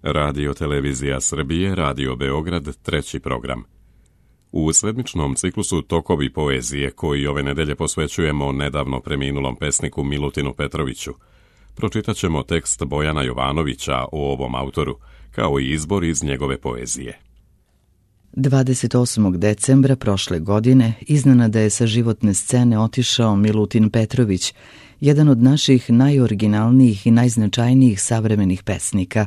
Radio Televizija Srbije, Radio Beograd, treći program. U sedmičnom ciklusu Tokovi poezije, koji ove nedelje posvećujemo nedavno preminulom pesniku Milutinu Petroviću, pročitat ćemo tekst Bojana Jovanovića o ovom autoru, kao i izbor iz njegove poezije. 28. decembra prošle godine iznenada je sa životne scene otišao Milutin Petrović, jedan od naših najoriginalnijih i najznačajnijih savremenih pesnika.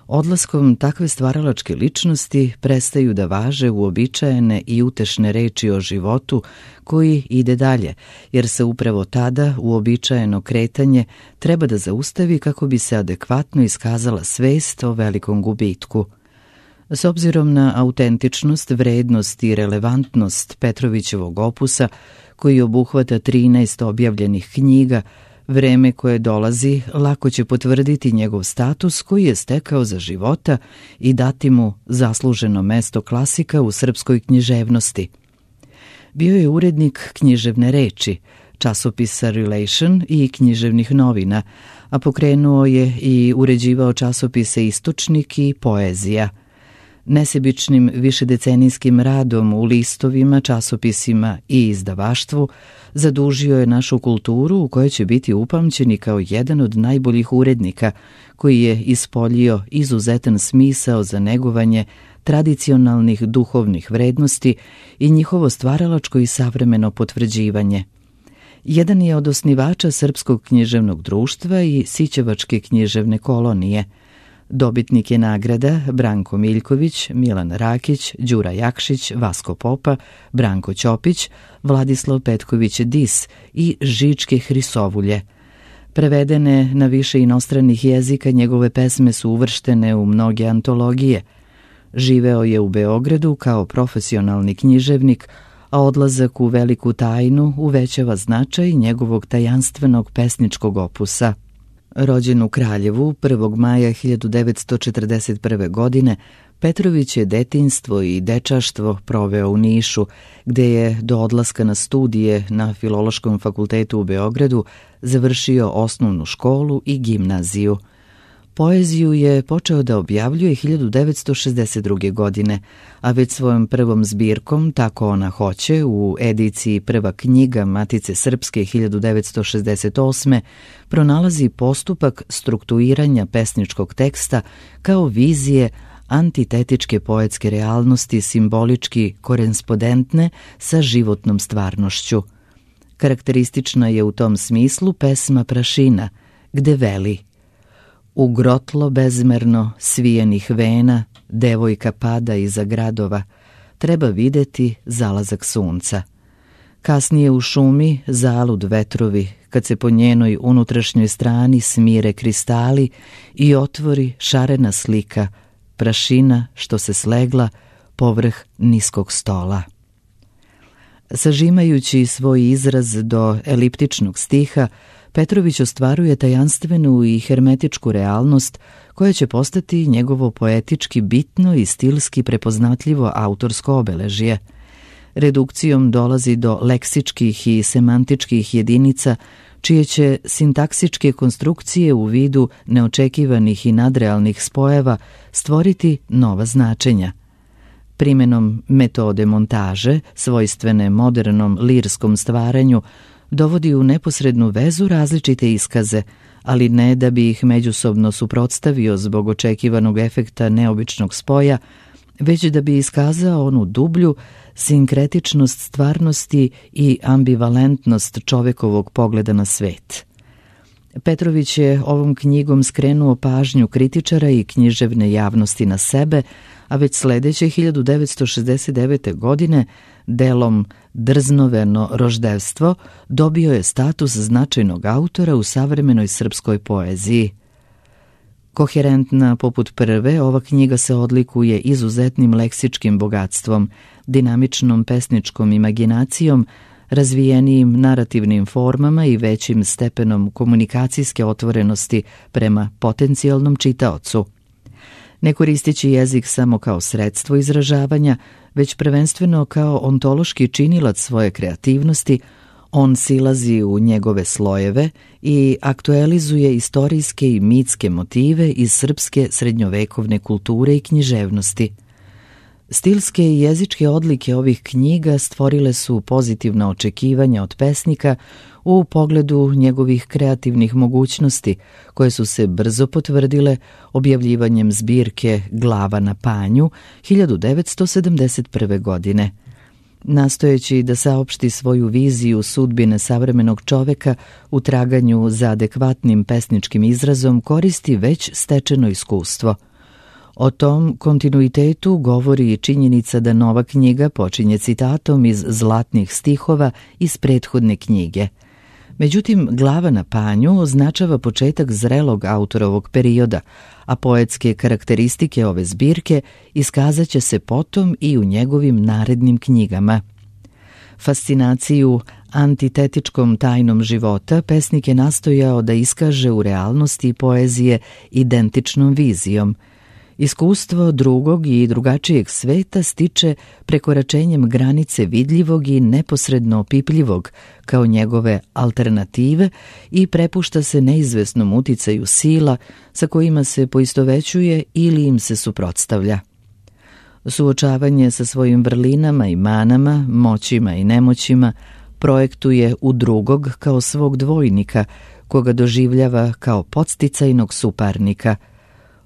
Odlaskom takve stvaralačke ličnosti prestaju da važe uobičajene i utešne reči o životu koji ide dalje, jer se upravo tada uobičajeno kretanje treba da zaustavi kako bi se adekvatno iskazala svest o velikom gubitku. S obzirom na autentičnost, vrednost i relevantnost Petrovićevog opusa, koji obuhvata 13 objavljenih knjiga, vreme koje dolazi lako će potvrditi njegov status koji je stekao za života i dati mu zasluženo mesto klasika u srpskoj književnosti. Bio je urednik Književne reči, časopisa Relation i književnih novina, a pokrenuo je i uređivao časopise Istočnik i Poezija. Nesebičnim višedecenijskim radom u listovima, časopisima i izdavaštvu zadužio je našu kulturu u kojoj će biti upamćeni kao jedan od najboljih urednika koji je ispoljio izuzetan smisao za negovanje tradicionalnih duhovnih vrednosti i njihovo stvaralačko i savremeno potvrđivanje. Jedan je od osnivača Srpskog književnog društva i Sićevačke književne kolonije. Dobitnik je nagrada Branko Miljković, Milan Rakić, Đura Jakšić, Vasko Popa, Branko Ćopić, Vladislav Petković Dis i Žičke Hrisovulje. Prevedene na više inostranih jezika, njegove pesme su uvrštene u mnoge antologije. Živeo je u Beogradu kao profesionalni književnik, a odlazak u veliku tajnu uvećava značaj njegovog tajanstvenog pesničkog opusa. Rođen u Kraljevu 1. maja 1941. godine, Petrović je detinjstvo i dečaštvo proveo u Nišu, gde je do odlaska na studije na Filološkom fakultetu u Beogradu završio osnovnu školu i gimnaziju. Poeziju je počeo da objavljuje 1962. godine, a već svojom prvom zbirkom Tako ona hoće u ediciji Prva knjiga Matice Srpske 1968. pronalazi postupak strukturiranja pesničkog teksta kao vizije antitetičke poetske realnosti simbolički korespondentne sa životnom stvarnošću. Karakteristična je u tom smislu pesma Prašina, gde veli: u grotlo bezmerno svijenih vena devojka pada iza gradova, treba videti zalazak sunca. Kasnije u šumi zalud vetrovi, kad se po njenoj unutrašnjoj strani smire kristali i otvori šarena slika, prašina što se slegla povrh niskog stola. Sažimajući svoj izraz do eliptičnog stiha, Petrović ostvaruje tajanstvenu i hermetičku realnost koja će postati njegovo poetički bitno i stilski prepoznatljivo autorsko obeležje. Redukcijom dolazi do leksičkih i semantičkih jedinica, čije će sintaksičke konstrukcije u vidu neočekivanih i nadrealnih spojeva stvoriti nova značenja. Primenom metode montaže, svojstvene modernom lirskom stvaranju, dovodi u neposrednu vezu različite iskaze, ali ne da bi ih međusobno suprotstavio zbog očekivanog efekta neobičnog spoja, već da bi iskazao onu dublju sinkretičnost stvarnosti i ambivalentnost čovekovog pogleda na svet. Petrović je ovom knjigom skrenuo pažnju kritičara i književne javnosti na sebe, a već sledeće 1969. godine delom Drznoveno roždevstvo dobio je status značajnog autora u savremenoj srpskoj poeziji. Koherentna poput prve, ova knjiga se odlikuje izuzetnim leksičkim bogatstvom, dinamičnom pesničkom imaginacijom, razvijenijim narativnim formama i većim stepenom komunikacijske otvorenosti prema potencijalnom čitaocu. Ne koristeći jezik samo kao sredstvo izražavanja, već prvenstveno kao ontološki činilac svoje kreativnosti, On silazi u njegove slojeve i aktualizuje istorijske i mitske motive iz srpske srednjovekovne kulture i književnosti. Stilske i jezičke odlike ovih knjiga stvorile su pozitivna očekivanja od pesnika u pogledu njegovih kreativnih mogućnosti, koje su se brzo potvrdile objavljivanjem zbirke Glava na panju 1971. godine. Nastojeći da saopšti svoju viziju sudbine savremenog čoveka u traganju za adekvatnim pesničkim izrazom, koristi već stečeno iskustvo. O tom kontinuitetu govori i činjenica da nova knjiga počinje citatom iz zlatnih stihova iz prethodne knjige. Međutim, Glava na panju označava početak zrelog autorovog perioda, a poetske karakteristike ove zbirke iskazat će se potom i u njegovim narednim knjigama. Fascinaciju antitetičkom tajnom života pesnik je nastojao da iskaže u realnosti poezije identičnom vizijom. Iskustvo drugog i drugačijeg sveta stiče prekoračenjem granice vidljivog i neposredno opipljivog kao njegove alternative i prepušta se neizvesnom uticaju sila sa kojima se poistovećuje ili im se suprotstavlja. Suočavanje sa svojim vrlinama i manama, moćima i nemoćima projektuje u drugog kao svog dvojnika, koga doživljava kao podsticajnog suparnika,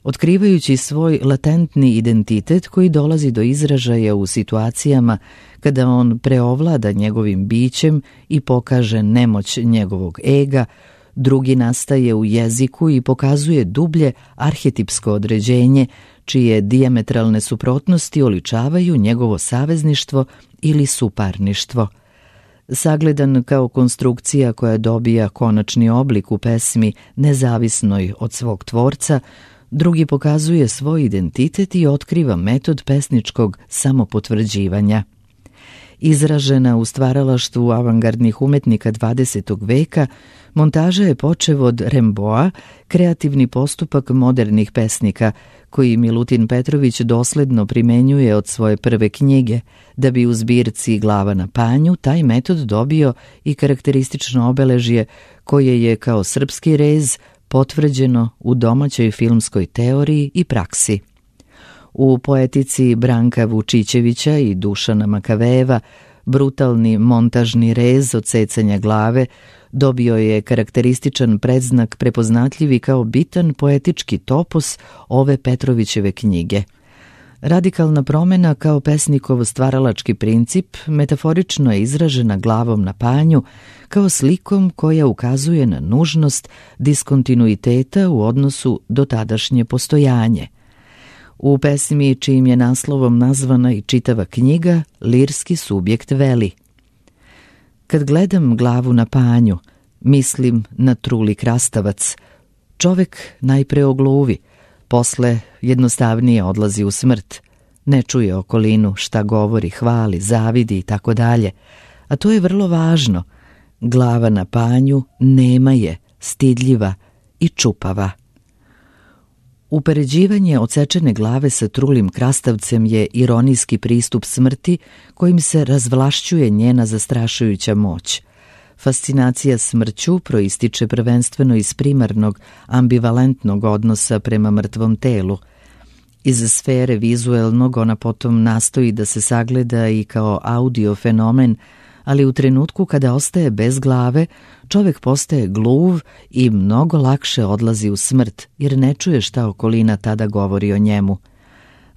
otkrivajući svoj latentni identitet koji dolazi do izražaja u situacijama kada on preovlada njegovim bićem i pokaže nemoć njegovog ega. Drugi nastaje u jeziku i pokazuje dublje arhetipsko određenje, čije dijametralne suprotnosti oličavaju njegovo savezništvo ili suparništvo. Sagledan kao konstrukcija koja dobija konačni oblik u pesmi nezavisnoj od svog tvorca, drugi pokazuje svoj identitet i otkriva metod pesničkog samopotvrđivanja. Izražena u stvaralaštvu avangardnih umetnika 20. veka, montaža je počev od Remboa, kreativni postupak modernih pesnika, koji Milutin Petrović dosledno primenjuje od svoje prve knjige, da bi u zbirci Glava na panju taj metod dobio i karakteristično obeležje koje je kao srpski rez potvrđeno u domaćoj filmskoj teoriji i praksi. U poetici Branka Vučićevića i Dušana Makavejeva brutalni montažni rez odsecanja glave dobio je karakterističan predznak prepoznatljivi kao bitan poetički topos ove Petrovićeve knjige. Radikalna promena kao pesnikov stvaralački princip metaforično je izražena Glavom na panju kao slikom koja ukazuje na nužnost diskontinuiteta u odnosu do tadašnje postojanje. U pesmi čijim je naslovom nazvana i čitava knjiga, lirski subjekt veli: kad gledam Glavu na panju, mislim na truli krastavac. Čovek najpre ogluvi, posle jednostavnije odlazi u smrt. Ne čuje okolinu, šta govori, hvali, zavidi i tako dalje. A to je vrlo važno. Glava na panju nema je, stidljiva i čupava. Upoređivanje odsečene glave sa trulim krastavcem je ironijski pristup smrti kojim se razvlašćuje njena zastrašujuća moć. Fascinacija smrću proističe prvenstveno iz primarnog, ambivalentnog odnosa prema mrtvom telu. Iz sfere vizuelnog ona potom nastoji da se sagleda i kao audio fenomen, ali u trenutku kada ostaje bez glave, čovek postaje gluv i mnogo lakše odlazi u smrt, jer ne čuje šta okolina tada govori o njemu.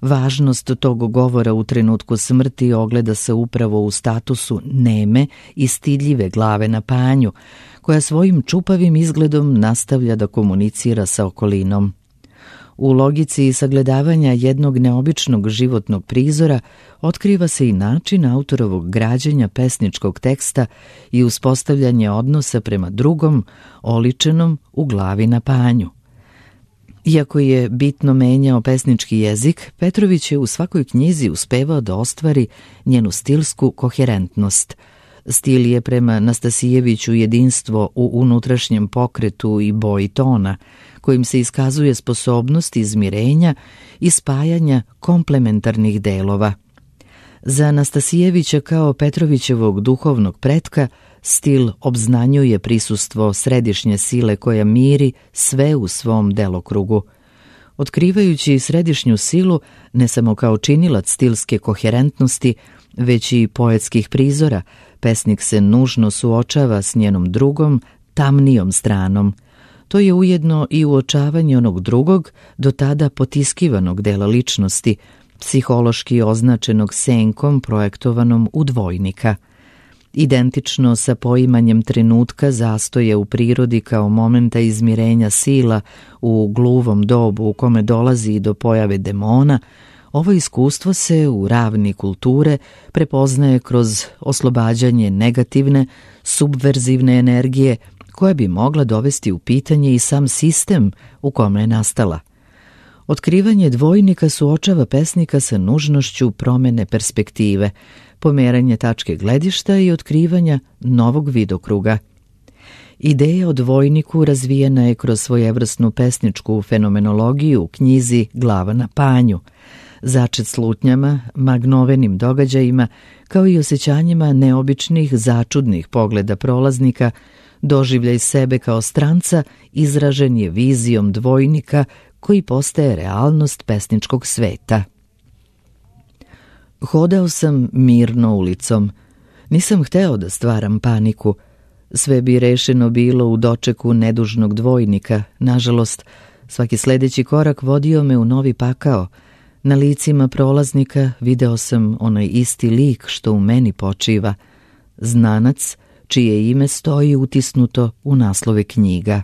Važnost tog govora u trenutku smrti ogleda se upravo u statusu neme i stidljive glave na panju, koja svojim čupavim izgledom nastavlja da komunicira sa okolinom. U logici sagledavanja jednog neobičnog životnog prizora otkriva se i način autorovog građenja pesničkog teksta i uspostavljanje odnosa prema drugom, oličenom u Glavi na panju. Iako je bitno menjao pesnički jezik, Petrović je u svakoj knjizi uspevao da ostvari njenu stilsku koherentnost. Stil je prema Nastasijeviću jedinstvo u unutrašnjem pokretu i boji tona, kojim se iskazuje sposobnost izmirenja i spajanja komplementarnih delova. Za Nastasijevića kao Petrovićevog duhovnog pretka stil obznanjuje prisustvo središnje sile koja miri sve u svom delokrugu. Otkrivajući središnju silu ne samo kao činilac stilske koherentnosti, već i poetskih prizora, pesnik se nužno suočava s njenom drugom, tamnijom stranom. To je ujedno i uočavanje onog drugog, do tada potiskivanog dela ličnosti, psihološki označenog senkom projektovanom u dvojnika. Identično sa poimanjem trenutka zastoje u prirodi kao momenta izmirenja sila u gluvom dobu u kome dolazi do pojave demona, ovo iskustvo se u ravni kulture prepoznaje kroz oslobađanje negativne, subverzivne energije koja bi mogla dovesti u pitanje i sam sistem u kome je nastala. Otkrivanje dvojnika suočava pesnika sa nužnošću promene perspektive, pomeranje tačke gledišta i otkrivanja novog vidokruga. Ideja o dvojniku razvijena je kroz svojevrsnu pesničku fenomenologiju u knjizi Glava na panju, začet slutnjama, magnovenim događajima, kao i osjećanjima neobičnih, začudnih pogleda prolaznika. Doživljaj sebe kao stranca izražen je vizijom dvojnika koji postaje realnost pesničkog sveta. Hodao sam mirno ulicom. Nisam hteo da stvaram paniku. Sve bi rešeno bilo u dočeku nedužnog dvojnika. Nažalost, svaki sledeći korak vodio me u novi pakao. Na licima prolaznika video sam onaj isti lik što u meni počiva. Znanac, čije ime stoji utisnuto u naslove knjiga.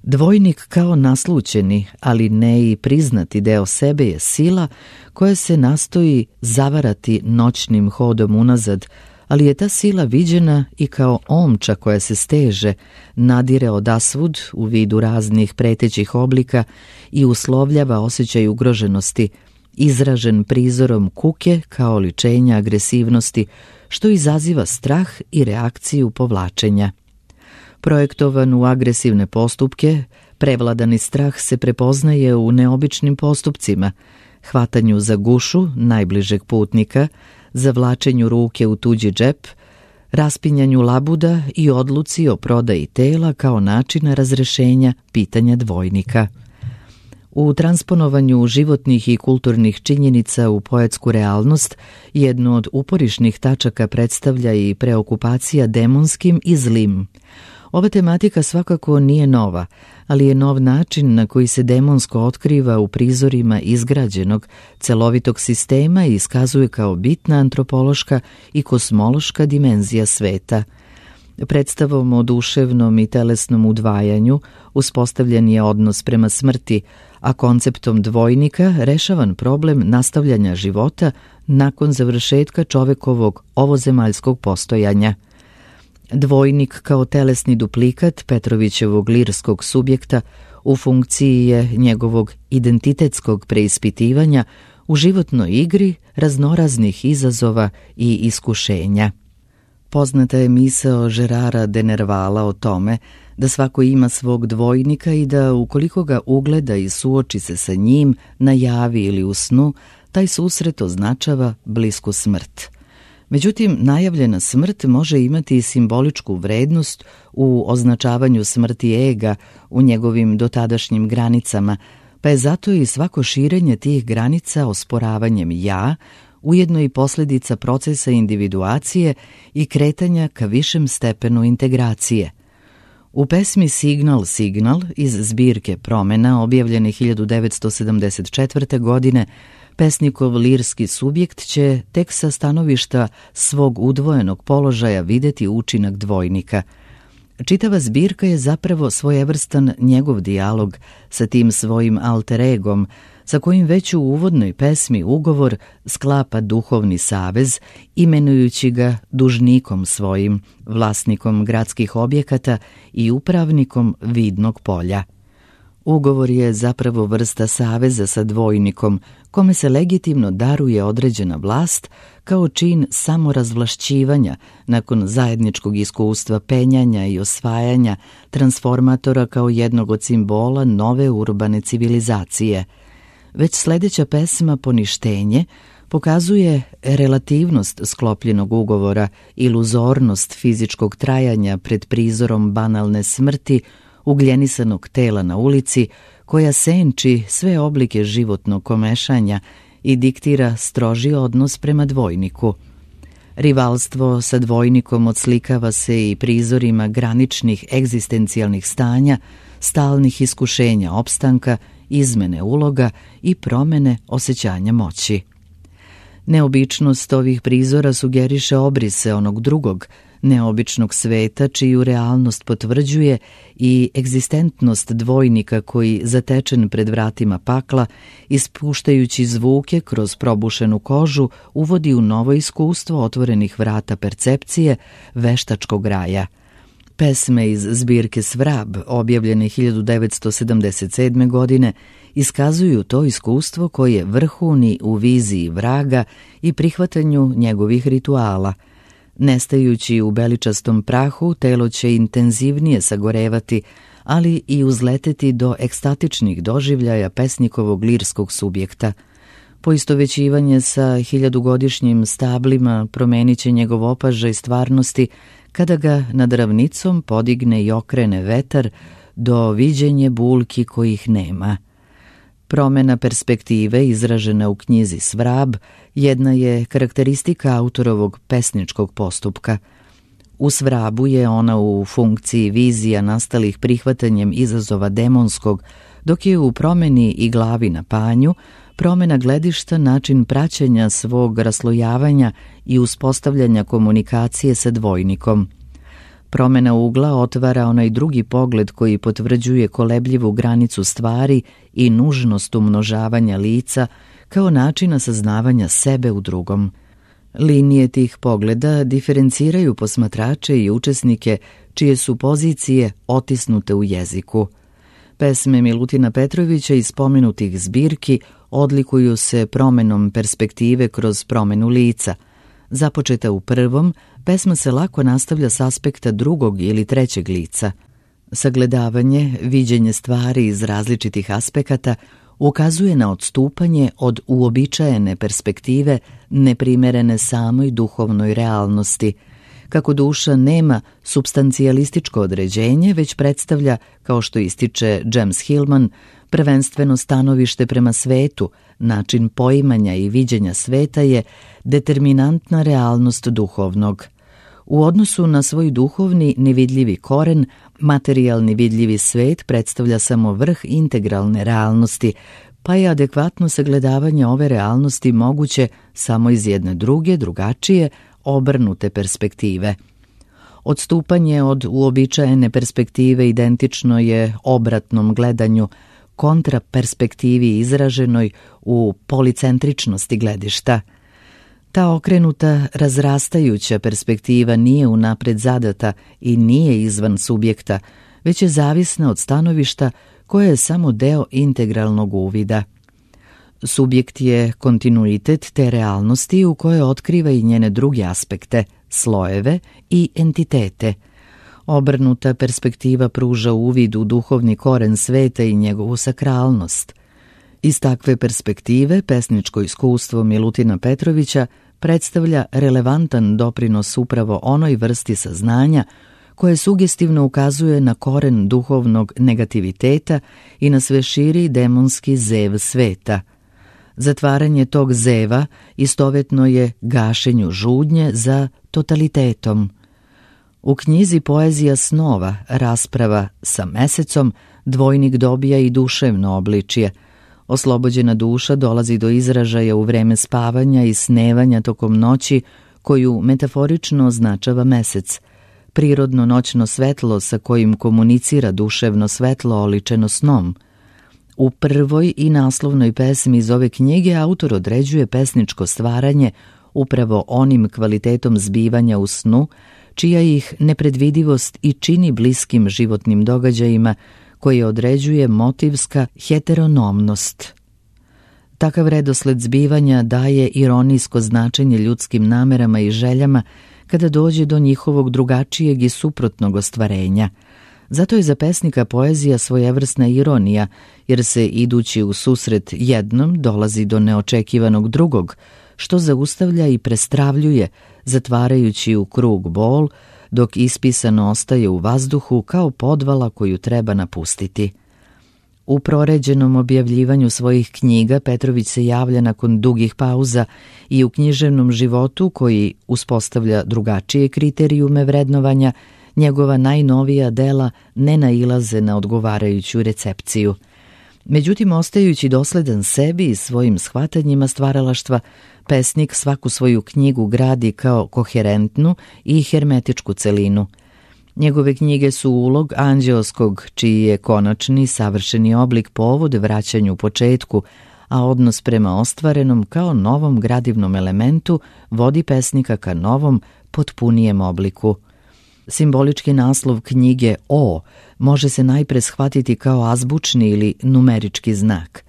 Dvojnik kao naslućeni, ali ne i priznati deo sebe je sila koja se nastoji zavarati noćnim hodom unazad, ali je ta sila viđena i kao omča koja se steže, nadire odasvud u vidu raznih pretećih oblika i uslovljava osjećaj ugroženosti, izražen prizorom kuke kao oličenja agresivnosti, što izaziva strah i reakciju povlačenja. Projektovan u agresivne postupke, prevladani strah se prepoznaje u neobičnim postupcima, hvatanju za gušu najbližeg putnika, zavlačenju ruke u tuđi džep, raspinjanju labuda i odluci o prodaji tela kao načina razrešenja pitanja dvojnika. U transponovanju životnih i kulturnih činjenica u poetsku realnost, jednu od uporišnih tačaka predstavlja i preokupacija demonskim i zlim. Ova tematika svakako nije nova, ali je nov način na koji se demonsko otkriva u prizorima izgrađenog, celovitog sistema i iskazuje kao bitna antropološka i kosmološka dimenzija sveta. Predstavom o duševnom i telesnom udvajanju uspostavljen je odnos prema smrti, a konceptom dvojnika rešavan problem nastavljanja života nakon završetka čovekovog ovozemaljskog postojanja. Dvojnik kao telesni duplikat Petrovićevog lirskog subjekta u funkciji je njegovog identitetskog preispitivanja u životnoj igri raznoraznih izazova i iskušenja. Poznata je misao Gerara de Nervala o tome da svako ima svog dvojnika i da ukoliko ga ugleda i suoči se sa njim na javi ili u snu, taj susret označava blisku smrt. Međutim, najavljena smrt može imati i simboličku vrednost u označavanju smrti ega u njegovim dotadašnjim granicama, pa je zato i svako širenje tih granica osporavanjem ja, ujedno i posljedica procesa individuacije i kretanja ka višem stepenu integracije. U pesmi Signal, Signal iz zbirke Promena, objavljene 1974. godine, pesnikov lirski subjekt će tek sa stanovišta svog udvojenog položaja videti učinak dvojnika. Čitava zbirka je zapravo svojevrstan njegov dijalog sa tim svojim alter egom, sa kojim već u uvodnoj pesmi Ugovor sklapa duhovni savez, imenujući ga dužnikom svojim, vlasnikom gradskih objekata i upravnikom vidnog polja. Ugovor je zapravo vrsta saveza sa dvojnikom, kome se legitimno daruje određena vlast kao čin samorazvlašćivanja nakon zajedničkog iskustva penjanja i osvajanja transformatora kao jednog od simbola nove urbane civilizacije. Već sledeća pesma Poništenje pokazuje relativnost sklopljenog ugovora, iluzornost fizičkog trajanja pred prizorom banalne smrti, ugljenisanog tela na ulici, koja senči sve oblike životnog komešanja i diktira stroži odnos prema dvojniku. Rivalstvo sa dvojnikom odslikava se i prizorima graničnih egzistencijalnih stanja, stalnih iskušenja opstanka, izmene uloga i promene osjećanja moći. Neobičnost ovih prizora sugeriše obrise onog drugog, neobičnog sveta čiju realnost potvrđuje i egzistentnost dvojnika koji, zatečen pred vratima pakla, ispuštajući zvuke kroz probušenu kožu, uvodi u novo iskustvo otvorenih vrata percepcije veštačkog raja. Pesme iz zbirke Svrab, objavljene 1977. godine, iskazuju to iskustvo koje vrhuni u viziji vraga i prihvatanju njegovih rituala. Nestajući u beličastom prahu, telo će intenzivnije sagorevati, ali i uzleteti do ekstatičnih doživljaja pesnikovog lirskog subjekta. Poistovećivanje sa hiljadugodišnjim stablima promenit će njegov opažaj stvarnosti kada ga nad ravnicom podigne i okrene vetar do viđenje bulki kojih nema. Promena perspektive izražena u knjizi Svrab jedna je karakteristika autorovog pesničkog postupka. U Svrabu je ona u funkciji vizija nastalih prihvatanjem izazova demonskog, dok je u Promeni i Glavi na panju promena gledišta način praćenja svog raslojavanja i uspostavljanja komunikacije sa dvojnikom. Promena ugla otvara onaj drugi pogled koji potvrđuje kolebljivu granicu stvari i nužnost umnožavanja lica kao načina saznavanja sebe u drugom. Linije tih pogleda diferenciraju posmatrače i učesnike čije su pozicije otisnute u jeziku. Pesme Milutina Petrovića iz spomenutih zbirki odlikuju se promenom perspektive kroz promenu lica. Započeta u prvom, pesma se lako nastavlja s aspekta drugog ili trećeg lica. Sagledavanje, viđenje stvari iz različitih aspekata ukazuje na odstupanje od uobičajene perspektive neprimerene samoj duhovnoj realnosti. Kako duša nema supstancijalističko određenje, već predstavlja, kao što ističe James Hillman, prvenstveno stanovište prema svetu, način poimanja i viđenja sveta je determinantna realnost duhovnog. U odnosu na svoj duhovni nevidljivi koren, materijalni vidljivi svet predstavlja samo vrh integralne realnosti, pa je adekvatno sagledavanje ove realnosti moguće samo iz jedne druge, drugačije, obrnute perspektive. Odstupanje od uobičajene perspektive identično je obratnom gledanju, kontraperspektivi izraženoj u policentričnosti gledišta. Ta okrenuta, razrastajuća perspektiva nije unapred zadata i nije izvan subjekta, već je zavisna od stanovišta koje je samo deo integralnog uvida. Subjekt je kontinuitet te realnosti u kojoj otkriva i njene druge aspekte, slojeve i entitete. Obrnuta perspektiva pruža uvid u duhovni koren sveta i njegovu sakralnost. Iz takve perspektive pesničko iskustvo Milutina Petrovića predstavlja relevantan doprinos upravo onoj vrsti saznanja koje sugestivno ukazuje na koren duhovnog negativiteta i na sve širi demonski zev sveta. Zatvaranje tog zeva istovetno je gašenju žudnje za totalitetom. U knjizi Poezija snova, rasprava sa mesecom, dvojnik dobija i duševno obličje. Oslobođena duša dolazi do izražaja u vreme spavanja i snevanja tokom noći, koju metaforično označava mesec. Prirodno noćno svetlo sa kojim komunicira duševno svetlo oličeno snom. U prvoj i naslovnoj pesmi iz ove knjige autor određuje pesničko stvaranje upravo onim kvalitetom zbivanja u snu, čija ih nepredvidivost i čini bliskim životnim događajima, koje određuje motivska heteronomnost. Takav redosled zbivanja daje ironijsko značenje ljudskim namerama i željama kada dođe do njihovog drugačijeg i suprotnog ostvarenja. Zato je za pesnika poezija svojevrsna ironija, jer se idući u susret jednom dolazi do neočekivanog drugog, što zaustavlja i prestravljuje, zatvarajući u krug bol, dok ispisano ostaje u vazduhu kao podvala koju treba napustiti. U proređenom objavljivanju svojih knjiga Petrović se javlja nakon dugih pauza i u književnom životu, koji uspostavlja drugačije kriterijume vrednovanja, njegova najnovija dela ne nailaze na odgovarajuću recepciju. Međutim, ostajući dosledan sebi i svojim shvatanjima stvaralaštva, pesnik svaku svoju knjigu gradi kao koherentnu i hermetičku celinu. Njegove knjige su ulog anđeoskog, čiji je konačni, savršeni oblik povod vraćanju početku, a odnos prema ostvarenom kao novom gradivnom elementu vodi pesnika ka novom, potpunijem obliku. Simbolički naslov knjige O može se najpre shvatiti kao azbučni ili numerički znak.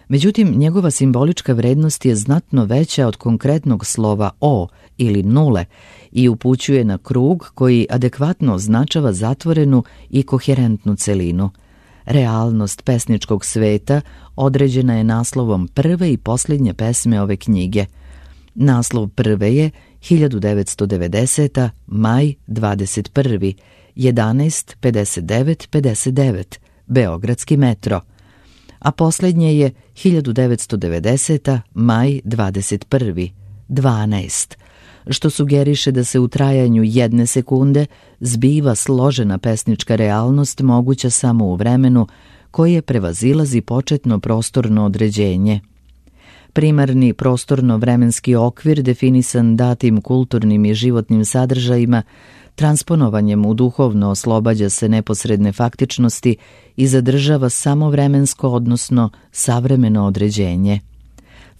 Međutim, njegova simbolička vrednost je znatno veća od konkretnog slova O ili nule i upućuje na krug koji adekvatno označava zatvorenu i koherentnu celinu. Realnost pesničkog sveta određena je naslovom prve i posljednje pesme ove knjige. Naslov prve je 1990. maj 21. 11:59:59 Beogradski metro, a posljednje je 1990. maj 21. 12, što sugeriše da se u trajanju 1 sekunde zbiva složena pesnička realnost moguća samo u vremenu koje prevazilazi početno prostorno određenje. Primarni prostorno-vremenski okvir definisan datim kulturnim i životnim sadržajima, transponovanjem u duhovno oslobađa se neposredne faktičnosti i zadržava samo vremensko, odnosno savremeno određenje.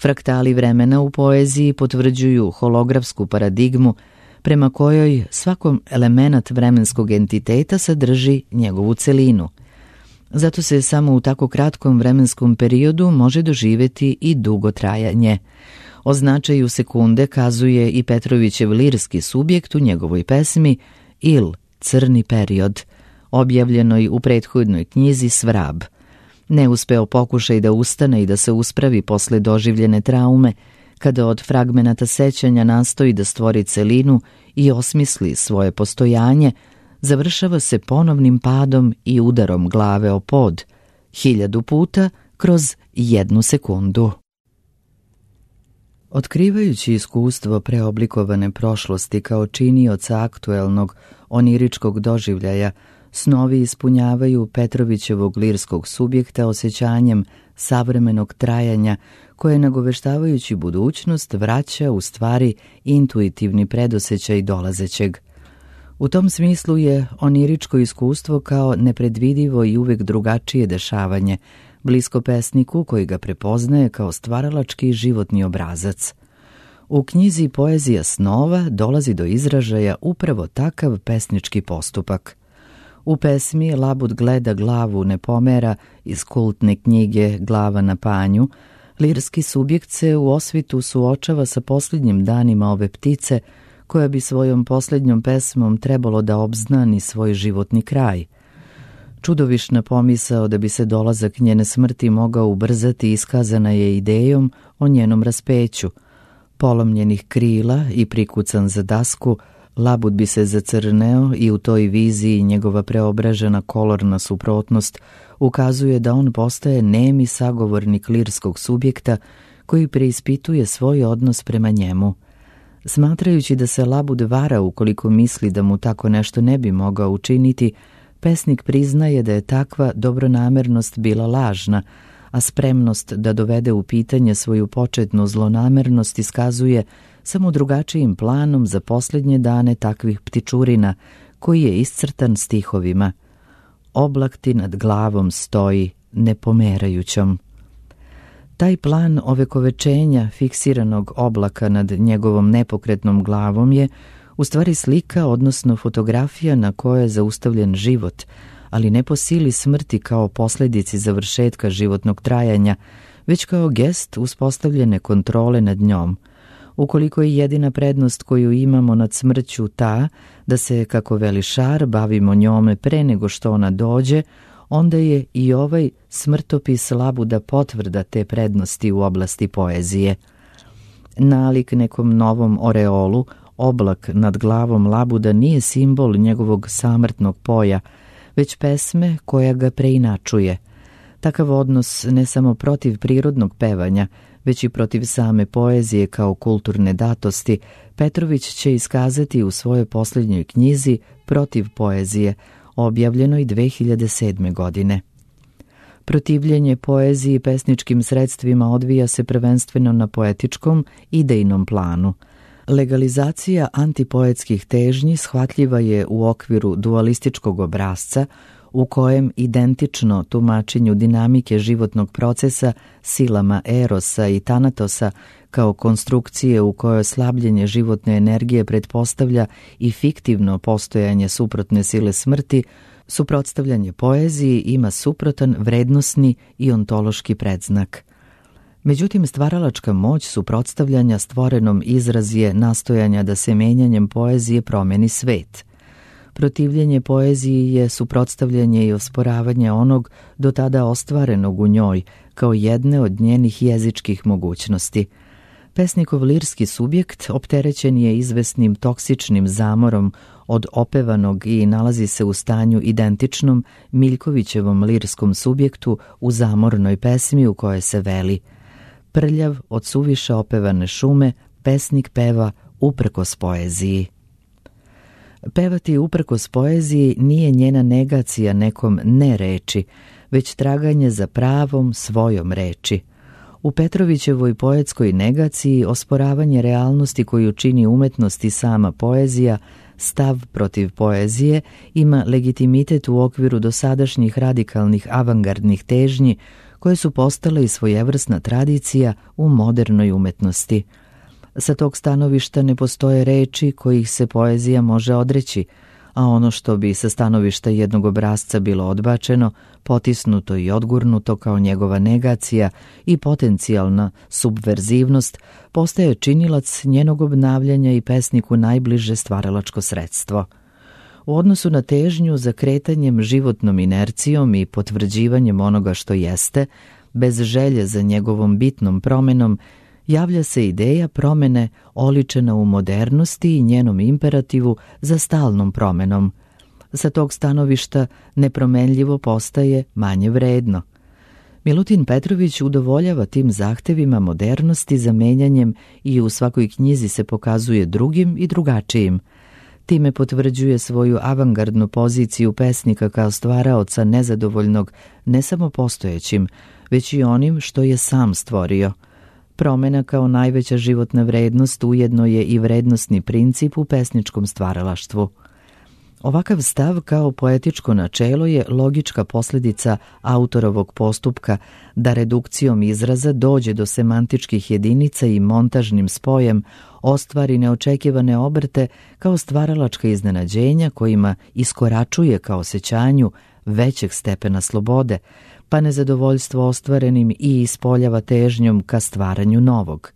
Fraktali vremena u poeziji potvrđuju holografsku paradigmu prema kojoj svakom element vremenskog entiteta sadrži njegovu celinu. Zato se samo u tako kratkom vremenskom periodu može doživjeti i dugo trajanje. O značaju sekunde kazuje i Petrovićev lirski subjekt u njegovoj pesmi Il, crni period, objavljenoj u prethodnoj knjizi Svrab. Neuspeo pokušaj da ustane i da se uspravi posle doživljene traume, kada od fragmenata sećanja nastoji da stvori celinu i osmisli svoje postojanje, završava se ponovnim padom i udarom glave o pod, 1000 puta kroz 1 sekundu. Otkrivajući iskustvo preoblikovane prošlosti kao činioca aktuelnog oniričkog doživljaja, snovi ispunjavaju Petrovićevog lirskog subjekta osjećanjem savremenog trajanja koje, nagoveštavajući budućnost, vraća u stvari intuitivni predosjećaj dolazećeg. U tom smislu je oniričko iskustvo kao nepredvidivo i uvek drugačije dešavanje, blisko pesniku koji ga prepoznaje kao stvaralački životni obrazac. U knjizi Poezija snova dolazi do izražaja upravo takav pesnički postupak. U pesmi Labud gleda glavu ne pomera iz kultne knjige Glava na panju, lirski subjekt se u osvitu suočava sa posljednjim danima ove ptice, koja bi svojom posljednjom pesmom trebalo da obznani svoj životni kraj. Čudovišna pomisao da bi se dolazak njene smrti mogao ubrzati iskazana je idejom o njenom raspeću. Polomljenih krila i prikucan za dasku, Labud bi se zacrneo i u toj viziji njegova preobražena kolorna suprotnost ukazuje da on postaje nemi sagovornik lirskog subjekta koji preispituje svoj odnos prema njemu. Smatrajući da se Labud vara ukoliko misli da mu tako nešto ne bi mogao učiniti, pesnik priznaje da je takva dobronamernost bila lažna, a spremnost da dovede u pitanje svoju početnu zlonamernost iskazuje samo drugačijim planom za posljednje dane takvih ptičurina, koji je iscrtan stihovima. Oblak ti nad glavom stoji nepomerajućom. Taj plan ovekovečenja fiksiranog oblaka nad njegovom nepokretnom glavom je u stvari slika, odnosno fotografija na kojoj je zaustavljen život, ali ne po sili smrti kao posljedici završetka životnog trajanja, već kao gest uspostavljene kontrole nad njom. Ukoliko je jedina prednost koju imamo nad smrću ta da se, kako veli Šar, bavimo njome pre nego što ona dođe, onda je i ovaj smrtopis Labuda potvrda te prednosti u oblasti poezije. Nalik nekom novom oreolu, oblak nad glavom labuda nije simbol njegovog samrtnog poja, već pesme koja ga preinačuje. Takav odnos ne samo protiv prirodnog pevanja, već i protiv same poezije kao kulturne datosti, Petrović će iskazati u svojoj posljednjoj knjizi Protiv poezije, objavljenoj 2007. godine. Protivljenje poeziji i pesničkim sredstvima odvija se prvenstveno na poetičkom, idejnom planu. Legalizacija antipoetskih težnji shvatljiva je u okviru dualističkog obrasca, u kojem identično tumačenju dinamike životnog procesa silama Erosa i Tanatosa kao konstrukcije u kojoj slabljenje životne energije pretpostavlja i fiktivno postojanje suprotne sile smrti, suprotstavljanje poeziji ima suprotan vrednosni i ontološki predznak. Međutim, stvaralačka moć suprotstavljanja stvorenom izraz je nastojanja da se menjanjem poezije promeni svet. Protivljenje poeziji je suprotstavljanje i osporavanje onog do tada ostvarenog u njoj kao jedne od njenih jezičkih mogućnosti. Pesnikov lirski subjekt opterećen je izvesnim toksičnim zamorom od opevanog i nalazi se u stanju identičnom Miljkovićevom lirskom subjektu u zamornoj pesmi u kojoj se veli: prljav od suviše opevane šume, pesnik peva uprkos poeziji. Pevati uprkos poeziji nije njena negacija nekom ne reči, već traganje za pravom svojom reči. U Petrovićevoj poetskoj negaciji osporavanje realnosti koju čini umetnost i sama poezija, stav protiv poezije, ima legitimitet u okviru dosadašnjih radikalnih avangardnih težnji koje su postale i svojevrsna tradicija u modernoj umetnosti. Sa tog stanovišta ne postoje reči kojih se poezija može odreći, a ono što bi sa stanovišta jednog obrasca bilo odbačeno, potisnuto i odgurnuto kao njegova negacija i potencijalna subverzivnost, postaje činilac njenog obnavljanja i pesniku najbliže stvaralačko sredstvo. U odnosu na težnju za kretanjem životnom inercijom i potvrđivanjem onoga što jeste, bez želje za njegovom bitnom promenom, javlja se ideja promene oličena u modernosti i njenom imperativu za stalnom promenom. Sa tog stanovišta nepromenljivo postaje manje vredno. Milutin Petrović udovoljava tim zahtevima modernosti za menjanjem i u svakoj knjizi se pokazuje drugim i drugačijim. Time potvrđuje svoju avangardnu poziciju pesnika kao stvaraoca nezadovoljnog ne samo postojećim, već i onim što je sam stvorio. Promena kao najveća životna vrednost ujedno je i vrednostni princip u pesničkom stvaralaštvu. Ovakav stav kao poetičko načelo je logička posljedica autorovog postupka da redukcijom izraza dođe do semantičkih jedinica i montažnim spojem ostvari neočekivane obrte kao stvaralačka iznenađenja kojima iskoračuje ka osjećanju većeg stepena slobode, pa nezadovoljstvo ostvarenim i ispoljava težnjom ka stvaranju novog.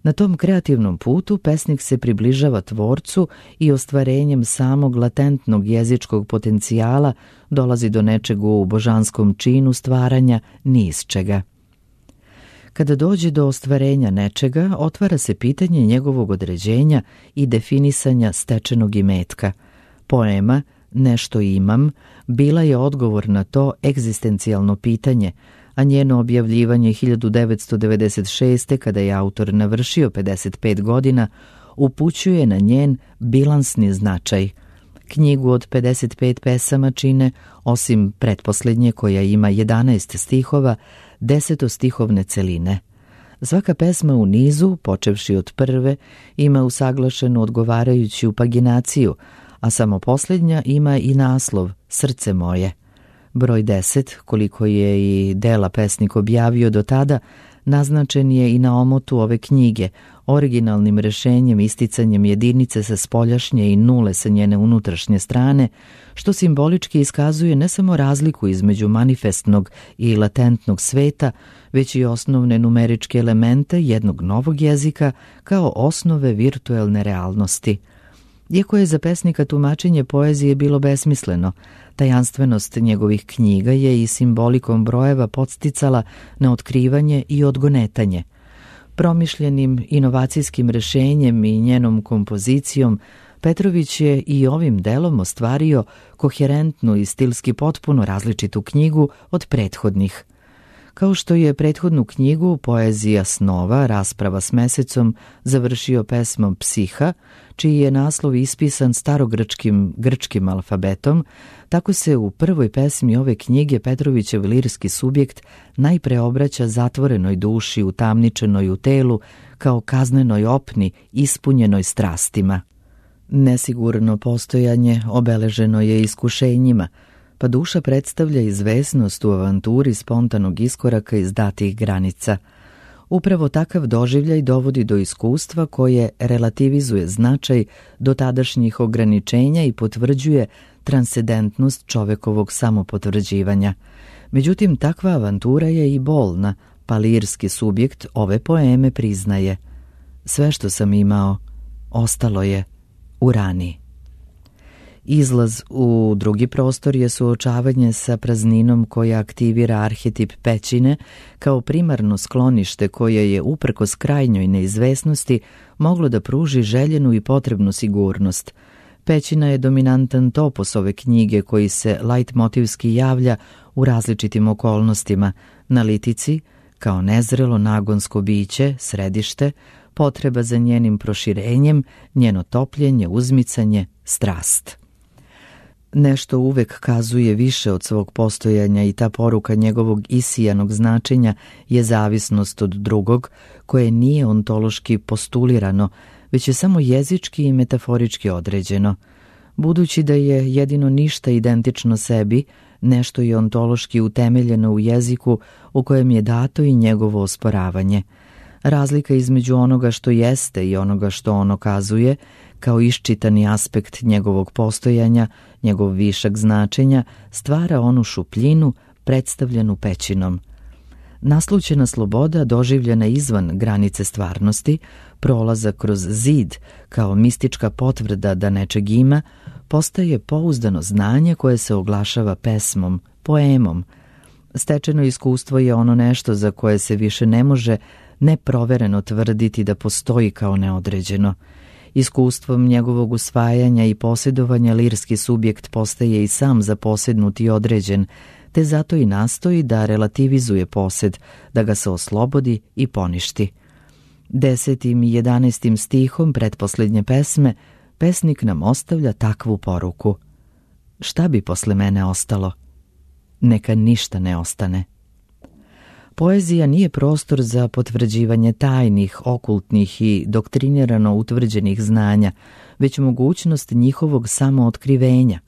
Na tom kreativnom putu pesnik se približava tvorcu i ostvarenjem samog latentnog jezičkog potencijala dolazi do nečeg u božanskom činu stvaranja ni iz čega. Kada dođe do ostvarenja nečega, otvara se pitanje njegovog određenja i definisanja stečenog imetka. Poema Nešto imam bila je odgovor na to egzistencijalno pitanje, a njeno objavljivanje 1996. kada je autor navršio 55 godina, upućuje na njen bilansni značaj. Knjigu od 55 pesama čine, osim pretposlednje koja ima 11 stihova, 10-stihovne celine. Svaka pesma u nizu, počevši od prve, ima usaglašenu odgovarajuću paginaciju, a samo posljednja ima i naslov Srce moje. Broj 10, koliko je i dela pesnik objavio do tada, naznačen je i na omotu ove knjige, originalnim rešenjem isticanjem jedinice sa spoljašnje i nule sa njene unutrašnje strane, što simbolički iskazuje ne samo razliku između manifestnog i latentnog sveta, već i osnovne numeričke elemente jednog novog jezika kao osnove virtuelne realnosti. Iako je za pesnika tumačenje poezije bilo besmisleno, tajanstvenost njegovih knjiga je i simbolikom brojeva podsticala na otkrivanje i odgonetanje. Promišljenim inovacijskim rešenjem i njenom kompozicijom Petrović je i ovim delom ostvario koherentnu i stilski potpuno različitu knjigu od prethodnih. Kao što je prethodnu knjigu Poezija snova, rasprava s mesecom završio pesmom Psiha, čiji je naslov ispisan grčkim alfabetom, tako se u prvoj pesmi ove knjige Petrovićev lirski subjekt najpre obraća zatvorenoj duši utamničenoj u telu kao kaznenoj opni ispunjenoj strastima. Nesigurno postojanje obeleženo je iskušenjima, pa duša predstavlja izvesnost u avanturi spontanog iskoraka iz datih granica. Upravo takav doživljaj dovodi do iskustva koje relativizuje značaj dotadašnjih ograničenja i potvrđuje transcendentnost čovekovog samopotvrđivanja. Međutim, takva avantura je i bolna, pa lirski subjekt ove poeme priznaje: sve što sam imao, ostalo je u rani. Izlaz u drugi prostor je suočavanje sa prazninom koja aktivira arhetip pećine kao primarno sklonište koje je uprkos krajnjoj neizvesnosti moglo da pruži željenu i potrebnu sigurnost. Pećina je dominantan topos ove knjige koji se lajtmotivski javlja u različitim okolnostima, na litici, kao nezrelo nagonsko biće, središte, potreba za njenim proširenjem, njeno topljenje, uzmicanje, strast. Nešto uvek kazuje više od svog postojanja i ta poruka njegovog isijanog značenja je zavisnost od drugog, koje nije ontološki postulirano, već je samo jezički i metaforički određeno. Budući da je jedino ništa identično sebi, nešto je ontološki utemeljeno u jeziku u kojem je dato i njegovo osporavanje. Razlika između onoga što jeste i onoga što ono kazuje, kao iščitani aspekt njegovog postojanja, njegov višak značenja, stvara onu šupljinu predstavljenu pećinom. Naslućena sloboda, doživljena izvan granice stvarnosti, prolazak kroz zid kao mistička potvrda da nečeg ima, postaje pouzdano znanje koje se oglašava pesmom, poemom. Stečeno iskustvo je ono nešto za koje se više ne može neprovereno tvrditi da postoji kao neodređeno. Iskustvom njegovog usvajanja i posjedovanja lirski subjekt postaje i sam zaposjednut i određen, te zato i nastoji da relativizuje posjed, da ga se oslobodi i poništi. 10. i 11. stihom pretposlednje pesme pesnik nam ostavlja takvu poruku: šta bi posle mene ostalo? Neka ništa ne ostane. Poezija nije prostor za potvrđivanje tajnih, okultnih i doktrinirano utvrđenih znanja, već mogućnost njihovog samootkrivenja.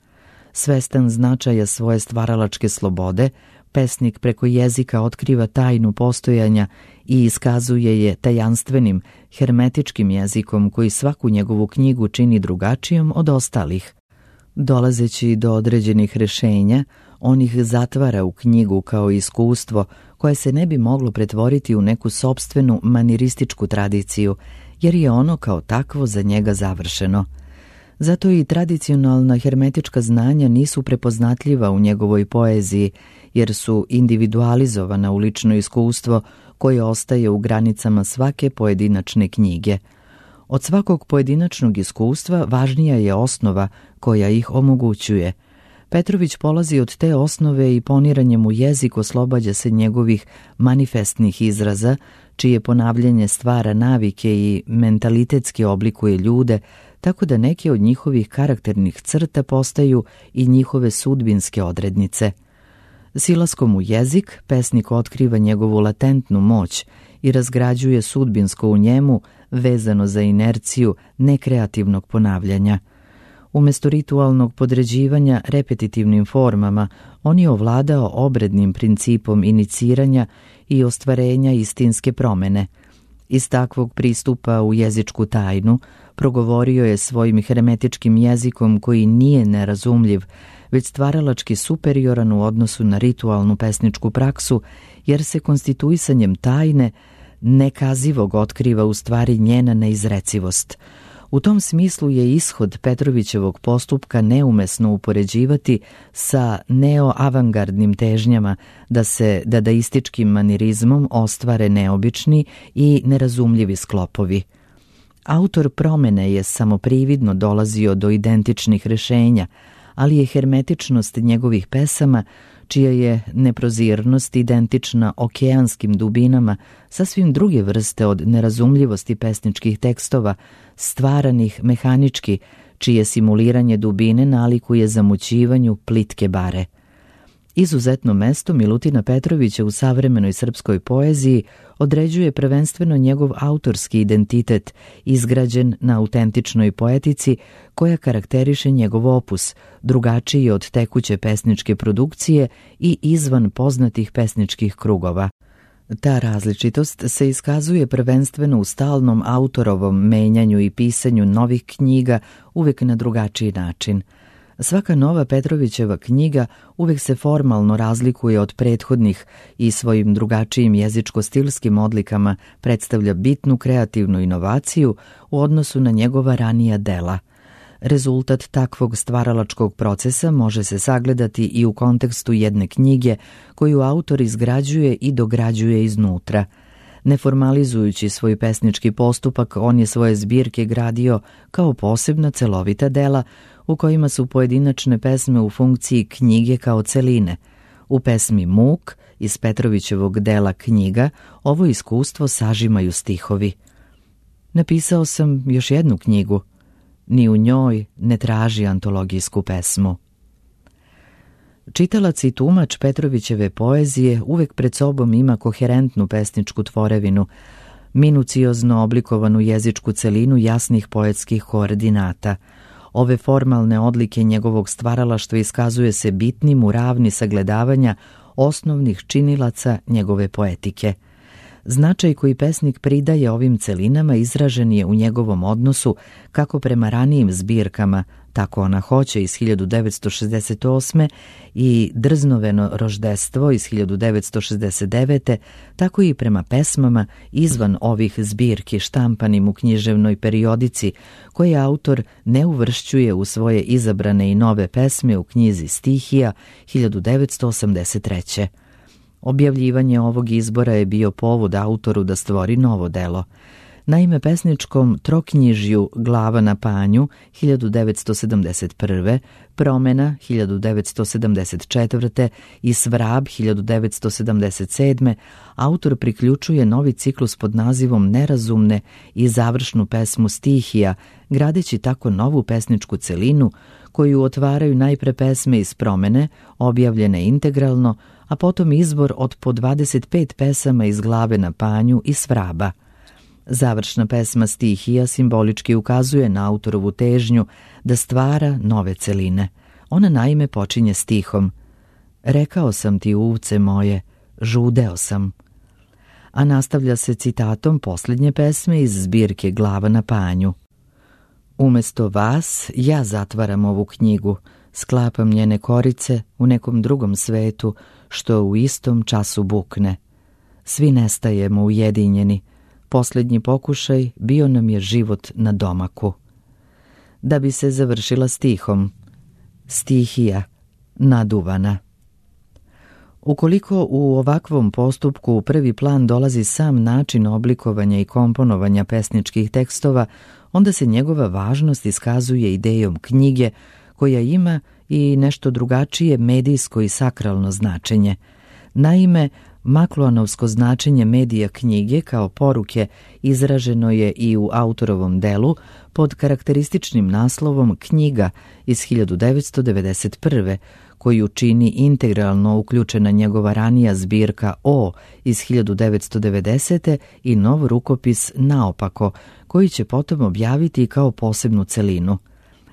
Svestan značaja svoje stvaralačke slobode, pesnik preko jezika otkriva tajnu postojanja i iskazuje je tajanstvenim, hermetičkim jezikom koji svaku njegovu knjigu čini drugačijom od ostalih. Dolazeći do određenih rešenja, on ih zatvara u knjigu kao iskustvo koje se ne bi moglo pretvoriti u neku sopstvenu manirističku tradiciju, jer je ono kao takvo za njega završeno. Zato i tradicionalna hermetička znanja nisu prepoznatljiva u njegovoj poeziji, jer su individualizovana u lično iskustvo koje ostaje u granicama svake pojedinačne knjige. Od svakog pojedinačnog iskustva važnija je osnova koja ih omogućuje. Petrović polazi od te osnove i poniranjem u jezik oslobađa se njegovih manifestnih izraza, čije ponavljanje stvara navike i mentalitetski oblikuje ljude, tako da neke od njihovih karakternih crta postaju i njihove sudbinske odrednice. Silaskom u jezik, pesnik otkriva njegovu latentnu moć i razgrađuje sudbinsko u njemu, vezano za inerciju nekreativnog ponavljanja. Umesto ritualnog podređivanja repetitivnim formama, on je ovladao obrednim principom iniciranja i ostvarenja istinske promene. Iz takvog pristupa u jezičku tajnu progovorio je svojim hermetičkim jezikom koji nije nerazumljiv, već stvaralački superioran u odnosu na ritualnu pesničku praksu, jer se konstituisanjem tajne nekazivog otkriva u stvari njena neizrecivost. U tom smislu je ishod Petrovićevog postupka neumesno upoređivati sa neoavangardnim težnjama da se dadaističkim manirizmom ostvare neobični i nerazumljivi sklopovi. Autor promene je samo prividno dolazio do identičnih rešenja, ali je hermetičnost njegovih pesama, čija je neprozirnost identična okeanskim dubinama, sasvim druge vrste od nerazumljivosti pesničkih tekstova, stvaranih mehanički, čije simuliranje dubine nalikuje zamućivanju plitke bare. Izuzetno mesto Milutina Petrovića u savremenoj srpskoj poeziji određuje prvenstveno njegov autorski identitet, izgrađen na autentičnoj poetici koja karakteriše njegov opus, drugačiji od tekuće pesničke produkcije i izvan poznatih pesničkih krugova. Ta različitost se iskazuje prvenstveno u stalnom autorovom menjanju i pisanju novih knjiga, uvek na drugačiji način. Svaka nova Petrovićeva knjiga uvek se formalno razlikuje od prethodnih i svojim drugačijim jezičko-stilskim odlikama predstavlja bitnu kreativnu inovaciju u odnosu na njegova ranija dela. Rezultat takvog stvaralačkog procesa može se sagledati i u kontekstu jedne knjige koju autor izgrađuje i dograđuje iznutra. Neformalizujući svoj pesnički postupak, on je svoje zbirke gradio kao posebna celovita dela u kojima su pojedinačne pesme u funkciji knjige kao celine. U pesmi Muk iz Petrovićevog dela Knjiga ovo iskustvo sažimaju stihovi. Napisao sam još jednu knjigu, ni u njoj ne traži antologijsku pesmu. Čitalac i tumač Petrovićeve poezije uvek pred sobom ima koherentnu pesničku tvorevinu, minuciozno oblikovanu jezičku celinu jasnih poetskih koordinata. Ove formalne odlike njegovog stvaralaštva iskazuje se bitnim u ravni sagledavanja osnovnih činilaca njegove poetike. Značaj koji pesnik pridaje ovim celinama izražen je u njegovom odnosu kako prema ranijim zbirkama, tako Ona hoće iz 1968. i Drznoveno roždestvo iz 1969. tako i prema pesmama izvan ovih zbirki štampanim u književnoj periodici, koje autor ne uvršćuje u svoje izabrane i nove pesme u knjizi Stihija 1983. Objavljivanje ovog izbora je bio povod autoru da stvori novo delo. Naime, pesničkom troknjižju Glava na panju 1971. Promena 1974. i Svrab 1977. autor priključuje novi ciklus pod nazivom Nerazumne i završnu pesmu Stihija, gradeći tako novu pesničku celinu koju otvaraju najpre pesme iz Promene, objavljene integralno, a potom izbor od po 25 pesama iz Glave na panju i Svraba. Završna pesma Stihija simbolički ukazuje na autorovu težnju da stvara nove celine. Ona naime počinje stihom: Rekao sam ti, uvce moje, žudeo sam. A nastavlja se citatom posljednje pesme iz zbirke Glava na panju: Umesto vas ja zatvaram ovu knjigu, sklapam njene korice u nekom drugom svetu što u istom času bukne. Svi nestajemo ujedinjeni, posljednji pokušaj bio nam je život na domaku. Da bi se završila stihom: Stihija, naduvana. Ukoliko u ovakvom postupku u prvi plan dolazi sam način oblikovanja i komponovanja pesničkih tekstova, onda se njegova važnost iskazuje idejom knjige, koja ima i nešto drugačije medijsko i sakralno značenje. Naime, Makluanovsko značenje medija knjige kao poruke izraženo je i u autorovom delu pod karakterističnim naslovom Knjiga iz 1991. koju čini integralno uključena njegova ranija zbirka O iz 1990. i nov rukopis Naopako, koji će potom objaviti kao posebnu celinu.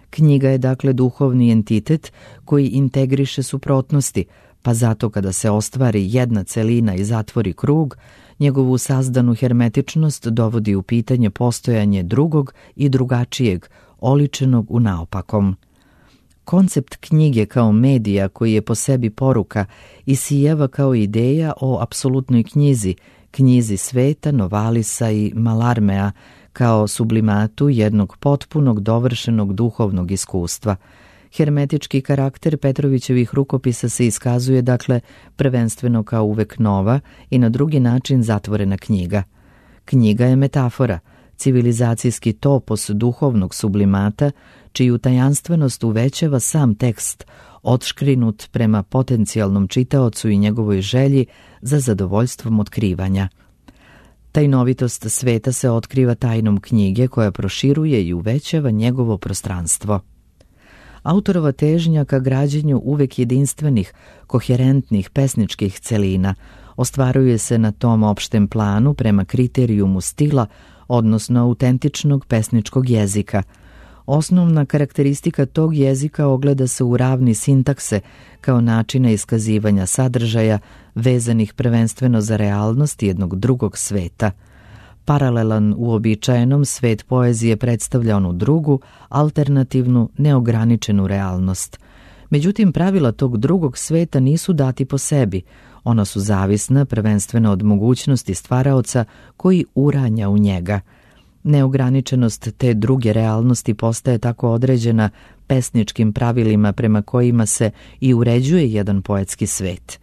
Knjiga je dakle duhovni entitet koji integriše suprotnosti, pa zato kada se ostvari jedna celina i zatvori krug, njegovu sazdanu hermetičnost dovodi u pitanje postojanje drugog i drugačijeg, oličenog u naopakom. Koncept knjige kao medija koji je po sebi poruka isijeva kao ideja o apsolutnoj knjizi, knjizi Sveta, Novalisa i Malarmea, kao sublimatu jednog potpunog dovršenog duhovnog iskustva. Hermetički karakter Petrovićevih rukopisa se iskazuje, dakle, prvenstveno kao uvek nova i na drugi način zatvorena knjiga. Knjiga je metafora, civilizacijski topos duhovnog sublimata, čiju tajanstvenost uvećava sam tekst, odškrinut prema potencijalnom čitaocu i njegovoj želji za zadovoljstvom otkrivanja. Tajnovitost sveta se otkriva tajnom knjige koja proširuje i uvećava njegovo prostranstvo. Autorova težnja ka građenju uvek jedinstvenih, koherentnih pesničkih celina ostvaruje se na tom opštem planu prema kriterijumu stila, odnosno autentičnog pesničkog jezika. Osnovna karakteristika tog jezika ogleda se u ravni sintakse kao načina iskazivanja sadržaja vezanih prvenstveno za realnost jednog drugog sveta. Paralelan uobičajenom, svet poezije predstavlja onu drugu, alternativnu, neograničenu realnost. Međutim, pravila tog drugog sveta nisu dati po sebi. Ona su zavisna prvenstveno od mogućnosti stvaraoca koji uranja u njega. Neograničenost te druge realnosti postaje tako određena pesničkim pravilima prema kojima se i uređuje jedan poetski svet.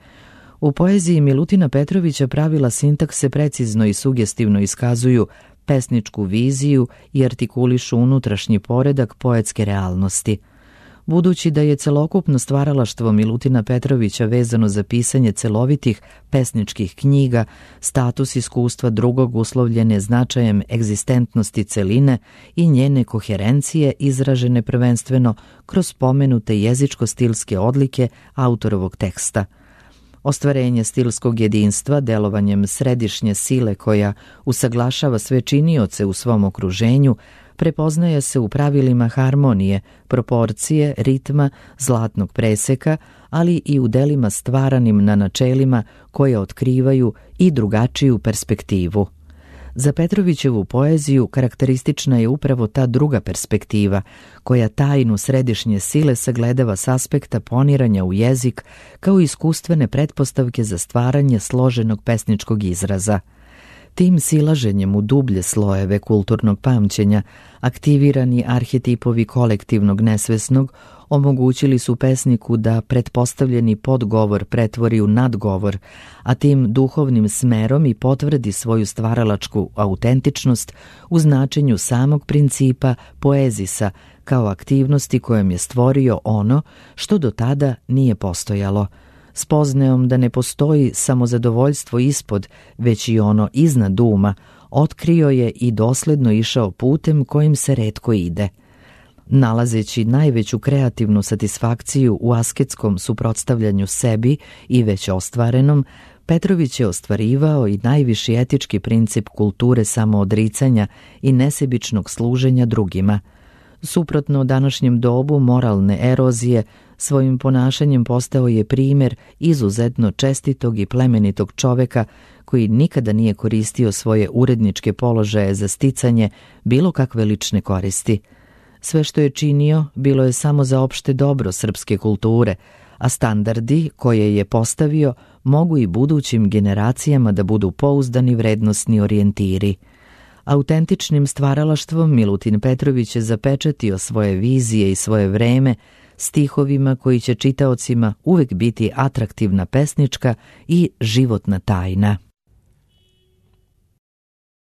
U poeziji Milutina Petrovića pravila sintakse precizno i sugestivno iskazuju pesničku viziju i artikulišu unutrašnji poredak poetske realnosti. Budući da je celokupno stvaralaštvo Milutina Petrovića vezano za pisanje celovitih pesničkih knjiga, status iskustva drugog uslovljen je značajem egzistentnosti celine i njene koherencije izražene prvenstveno kroz pomenute jezičko-stilske odlike autorovog teksta. Ostvarenje stilskog jedinstva delovanjem središnje sile koja usaglašava sve činioce u svom okruženju prepoznaje se u pravilima harmonije, proporcije, ritma, zlatnog preseka, ali i u delima stvaranim na načelima koje otkrivaju i drugačiju perspektivu. Za Petrovićevu poeziju karakteristična je upravo ta druga perspektiva, koja tajnu središnje sile sagledava s aspekta poniranja u jezik kao iskustvene pretpostavke za stvaranje složenog pesničkog izraza. Tim silaženjem u dublje slojeve kulturnog pamćenja, aktivirani arhetipovi kolektivnog nesvesnog omogućili su pesniku da pretpostavljeni podgovor pretvori u nadgovor, a tim duhovnim smerom i potvrdi svoju stvaralačku autentičnost u značenju samog principa poezisa kao aktivnosti kojom je stvorio ono što do tada nije postojalo. Spoznajom da ne postoji samo zadovoljstvo ispod, već i ono iznad uma, otkrio je i dosledno išao putem kojim se retko ide. Nalazeći najveću kreativnu satisfakciju u asketskom suprotstavljanju sebi i već ostvarenom, Petrović je ostvarivao i najviši etički princip kulture samoodricanja i nesebičnog služenja drugima. Suprotno današnjem dobu moralne erozije, svojim ponašanjem postao je primjer izuzetno čestitog i plemenitog čoveka koji nikada nije koristio svoje uredničke položaje za sticanje bilo kakve lične koristi. Sve što je činio bilo je samo za opšte dobro srpske kulture, a standardi koje je postavio mogu i budućim generacijama da budu pouzdani vrednosni orijentiri. Autentičnim stvaralaštvom Milutin Petrović je zapečatio svoje vizije i svoje vreme stihovima koji će čitaocima uvek biti atraktivna pesnička i životna tajna.